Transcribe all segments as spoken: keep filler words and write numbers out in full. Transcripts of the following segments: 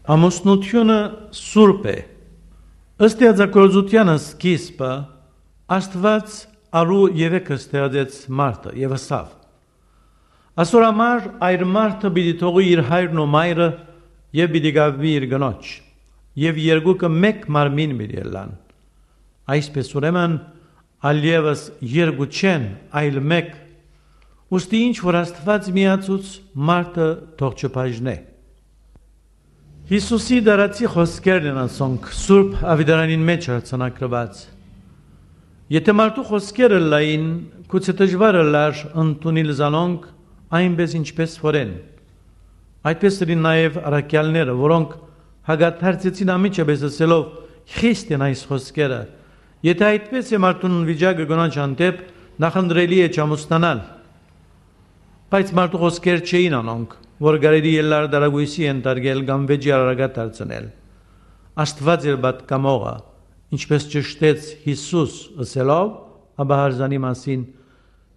Ամուսնութիւնը սուրբ է։ Ստեղծագործութեան սկիզբը Աստուած առու երեքը ստեղծեց մարդը եւ ըսաւ. «Ասոր համար այր մարդը պիտի թողի իր հայրն ու մայրը եւ պիտի գաւի իր կնոջ, եւ երկուքը մէկ մարմին պիտի ըլլան»։ Այսպէս ուրեմն, ալ եւս երկու չեն, այլ մէկ։ Ուստի ինչ որ Աստուած միացուց, մարդը թող չբաժնէ։ Յիսուսի դարացի խօսքերն են ասոնք, Սուրբ Աւետարանին մէջ արձանագրուած։ Եթէ մարդու խօսքերը լային, գուցե դժուար ըլլար ընդունիլ զանոնք, այնպէս ինչպէս որ են։ Այդպէս ըրին նաեւ առաքեալները, որոնք հակադարձեցին անմիջապէս ըսելով. «Խիստ են այս խօսքերը»։ Եթէ այդպէս է մարդուն վիճակը կնոջ հանդէպ, նախընտրելի է չամուսնանալ։ Բայց մարդու խօսքեր չէին անոնք, որ կարելի ըլլար տարակոյսի ենթարկել կամ վեճի առարկայ դարձնել։ Աստուած էր պատգամողը, ինչպէս ճշդեց Յիսուս, ըսելով Աբահարզանի մասին.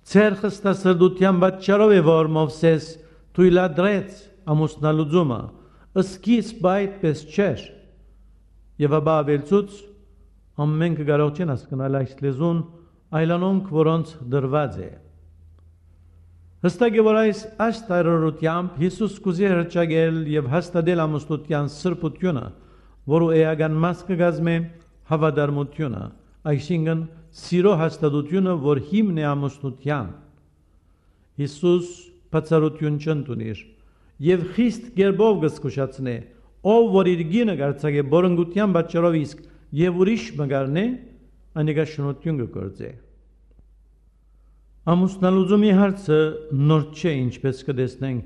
«Ձեր խստասրտութեան պատճառով է, որ Մովսէս թոյլատրեց ամուսնալուծումը, սկիզբը այդպէս չէր»։ Եւ ապա աւելցուց. «Ամենքը կարող չեն հասկնալ այս լեզուն, այլ անոնք, որոնց տրուած է»։ Յստակ է, որ այս, այս տարրերութեամբ Յիսուս կ'ուզէ հրճակել եւ հաստատել ամուսնութեան սրբութիւնը, որու էական մաս կը կազմէ հաւատարմութիւնը, այսինքն՝ սիրո հաստատութիւնը, որ հիմն է ամուսնութեան։ Յիսուս բացառութիւն չընդունիր եւ խիստ կերպով կը զգուշացնէ. «Ով որ իր կինը կ'արձակէ պորնկութեան պատճառով իսկ եւ ուրիշ մը կ'առնէ, անիկա շնորհութիւն կը գործէ»։ Ամուսնալուծումի հարցը նոր չէ, ինչպէս կը տեսնենք։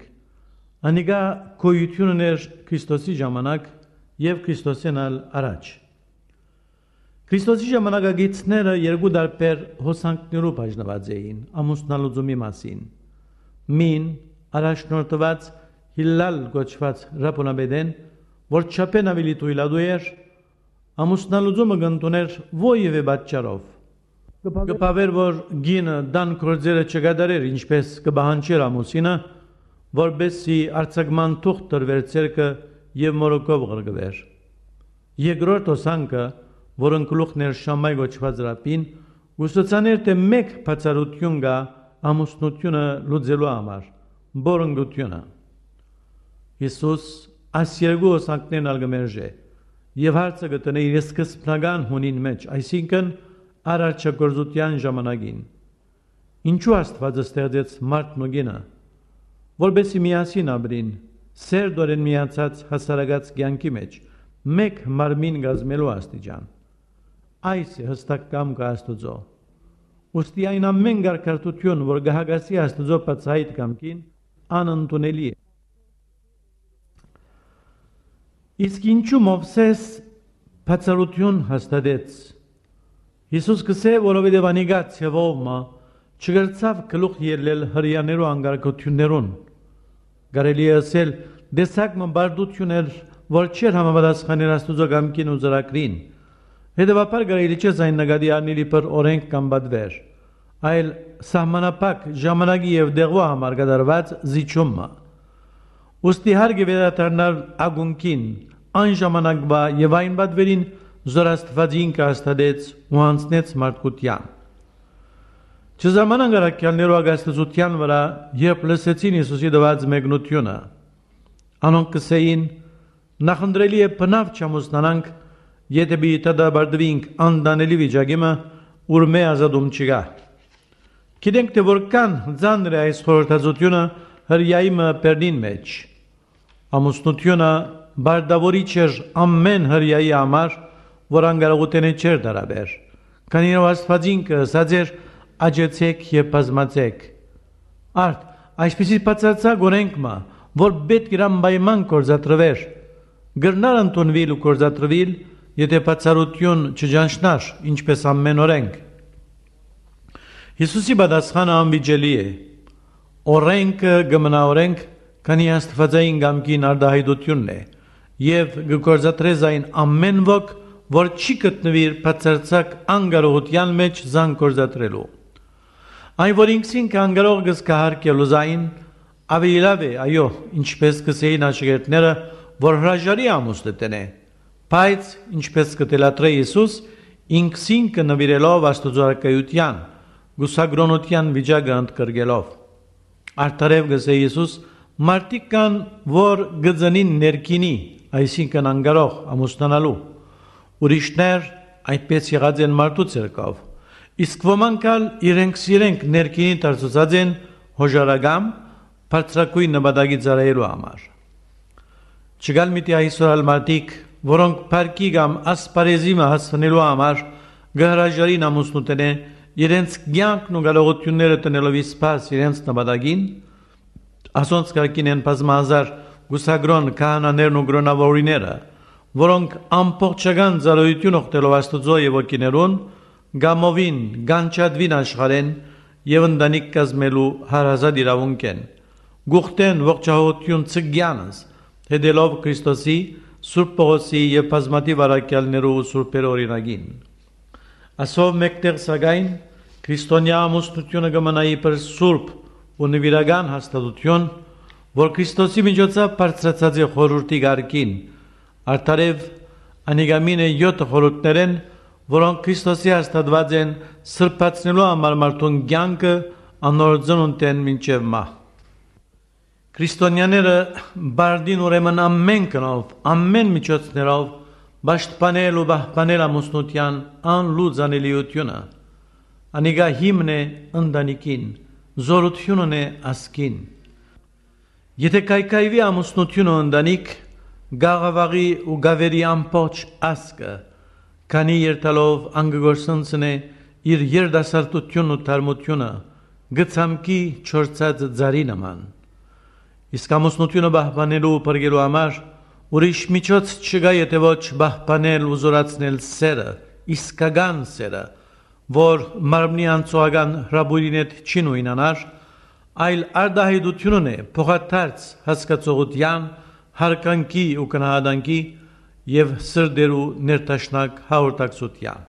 Անիկա գոյութիւն ունէր Քրիստոսի ժամանակ եւ Քրիստոսէն ալ առաջ։ Քրիստոսի ժամանակակիցները երկու տարբեր հոսանքներու բաժնուած էին ամուսնալուծումի մասին։ Մին, առաջնորդուած Հիլլալ կոչուած Ռաբոնապետէն, որ չափէն աւելի թոյլատու էր, ամուսնալուծումը կ'ընդունէր որեւէ պատճառով։ Կը բաւէր, որ կինը տան գործերը չկատարէր, ինչպէս կը պահանջէր ամուսինը, որպէս զի արձակման թուղթ տրուէր ձեռքը եւ մորուքով ղրկուէր։ Երկրորդ հոսանքը, որուն գլուխն էր Շամայ կոչուած Ռաբին, կ'ուսուցանէր, թէ մէկ բացառութիւն կայ ամուսնութիւնը լուծելու համար՝ պորնկութիւնը։ Յիսուս այս երկու հոսանքներն ալ կը մերժէ եւ հարցը կը դնէ իր սկզբնական հունին մէջ, այսինքն՝ արարչագործութեան ժամանակին։ Ինչո՞ւ Աստուած ստեղծեց մարդն ու կինը, որպէս զի միասին ապրին, սերտօրէն միացած հասարակաց կեանքի մէջ, մէկ մարմին կազմելու աստիճան։ Այս է յստակ կամքը Աստուծոյ։ Ուստի այն ամէն կարգարտութիւն, որ կը հակասի Աստուծոյ բացայայտ կամքին, անընդունելի է։ Իսկ ինչու Մովսէս բացառութիւն հաստատեց։ Յիսուս կ'ըսէ, որովհետեւ անիկա ձեւով մը չկրցաւ գլուխ ելլել Հրեաներու անկարգութիւններուն։ Կարելի է ըսել, տեսակ մը պարտութիւն էր, որ չէր համապատասխաներ Աստուծոյ կամքին ու ծրագրին։ Հետեւաբար կարելի չէ զայն նկատի առնել իբր օրէնք կամ պատուէր, այլ սահմանափակ ժամանակի եւ տեղու համար կատարուած զիջում մը։ Ուստի հարկ է վերադառնալ ակունքին, այն ժամանակվա եւ այն պատուէրին, զոր Աստուած ինքը հաստատեց ու յանձնեց մարդկութեան։ Չզարմանանք առաքեալներու ակասեցութեան վրայ, երբ լսեցին Յիսուսի տուած մեկնութիւնը։ Անոնք կ'ըսէին. «Նախընտրելի է բնաւ չամուսնանանք, եթէ պիտի դատապարտուինք անտանելի վիճակի մը, ուրմէ ազատում չկայ»։ Գիտենք թէ որքան ծանր է այս խորհրդածութիւնը Հրեայի մը բերնին մէջ։ Ամուսնութիւնը պարտաւորիչ էր ամէն Հրեայի համար, որ անկարողութենէ չէր տարաբեր, քանի որ Աստուած ինքը ըսած էր. «Աճեցէք եւ բազմացէք»։ Արդ, այսպիսի բացարձակ օրէնք մը, որ պէտք էր անպայման գործադրուէր, կրնար ընդունուիլ ու գործադրուիլ, եթէ բացառութիւն չճանչնար, ինչպէս ամէն օրէնք։ Յիսուսի պատասխանը անվիճելի է։ Օրէնքը կը մնայ օրէնք, քանի աստուածային կամքին արտայայտութիւնն է, եւ կը գործադրէ զայն ամէն ոք, որ չի գտնուիր բացարձակ անկարողութեան մէջ զայն գործադրելու։ Այն, որ ինքզինքը անկարող կը զգայ յարգելու զայն, աւելի լաւ է, այո, ինչպէս կ'ըսէին աշակերտները, որ հրաժարի ամուսնութենէ, բայց, ինչպէս կը թելադրէ Յիսուս, ինքզինքը նուիրելով Աստուծոյ առկայութեան, կուսակրօնութեան վիճակը ընդգրկելով։ Արդարեւ կ'ըսէ Յիսուս, մարդիկ կան, որ կը ծնին ներքինի, այսինքն՝ անկարող ամուսնանալու։ Ուրիշներ այդպէս եղած են մարդու ձեռքով, իսկ ոմանք ալ իրենք սիրենք ներքինի դարձուցած են հոժարակամ, բարձրագոյն նպատակի ծառայելու համար։ Չկալ միտի այսօր ալ մարդիկ, որոնք փառքի կամ ասպարէզի մը հասնելու համար կը հրաժարին ամուսնութենէ, իրենց կեանքն ու կարողութիւնները տնելով իսպաս իրենց նպատակին։ Ասոնց կարգին են բազմահազար կուսակրօն քահանաներն ու կրօնաւորուհիները, որոնք ամբողջական ծառայութիւն օգնելով Աստուծոյ եւ հոգիներուն, կամովին, կանչատուին աշխարհէն եւ ընտանիք կազմելու հարազատ իրաւունք են, կ'ուխտեն ողջահոգութիւն ցկեանս, հետելով Քրիստոսի, Սուրբ Պողոսի եւ բազմաթիւ առաքեալներու ու սուրբերու օրինակին։ Ասով մէկտեղ, սակայն, քրիստոնեայ ամուսնութիւնը կը մնայ իբր սուրբ ու նուիրական հաստատութիւն, որ Քրիստոսի միջոցով բարձրացած է խորհուրդի կարգին, արդարեւ, անիկա մին է եօթը խորհուրդներէն, որոնք Քրիստոսի հաստատուած են սրբացնելու համար մարդուն կեանքը անոր ծնունդէն մինչեւ մահ։ Քրիստոնեաները պարտին ուրեմն ամէն կնով, ամէն միջոցներով պաշտպանել ու պահպանել ամուսնութեան անլուծանելիութիւնը։ Անիկա հիմն է ընտանիքին, զօրութիւնն է ազգին։ Եթէ քայքայուի ամուսնութիւնը ընտանիք, կ'աղաւաղի ու կ'ավերի ամբողջ ազգը, քանի երթալով ան կը կորսնցնէ իր երիտասարդութիւնն ու թարմութիւնը, կը ցամքի չորցած ծառի նման։ Իսկ ամուսնութիւնը պահպանելու ու փրկելու համար ուրիշ միջոց չկայ, եթէ ոչ պահպանել ու զօրացնել սէրը, իսկական սէրը, որ մարմնի անցողական հրապուրին հետ չի նոյնանար, այլ արտայայտութիւնն է փոխադարձ հասկացողութեան, յարգանքի ու գնահատանքի եւ սրտերու ներդաշնակ հաղորդակցութեան։